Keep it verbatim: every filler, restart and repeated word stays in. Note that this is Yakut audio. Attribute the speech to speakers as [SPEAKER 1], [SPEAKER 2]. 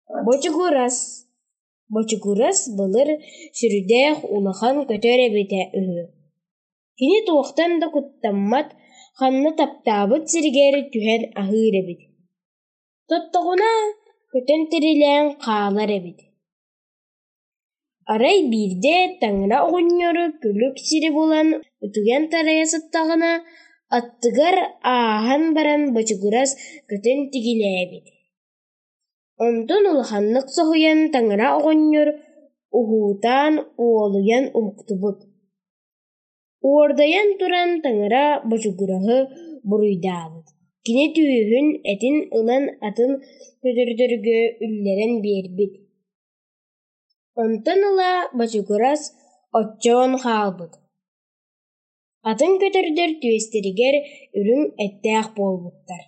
[SPEAKER 1] Бочугурас Бочугурас былыр сүрдээх улахан көтөр эбитэ үһү. Кини туохтан да куттаммат, ханна таптаабыт сиригэр түһэн аһыыр эбит. Тоттоҕуна көтөн тирилээн хаалар эбит. Арай биирдэ таҥара оҕонньор күлүк сири булан утуйан тарайа сыттаҕына, аттыгар ааһан баран бочугурас көтөн тигинээбит. Онтон улаханнык соһуйан таҥара оҕонньор уһуутаан уолуйан уһуктубут. Уордайан туран таҥара бочугураһы буруйдаабыт, кини түөһүн этин ылан атын көтөрдөргө үллэрэн биэрбит. Онтон ыла бочугурас оччоон хаалбыт, атын көтөрдөр түөстэригэр үрүҥ эттээх буолбуттар.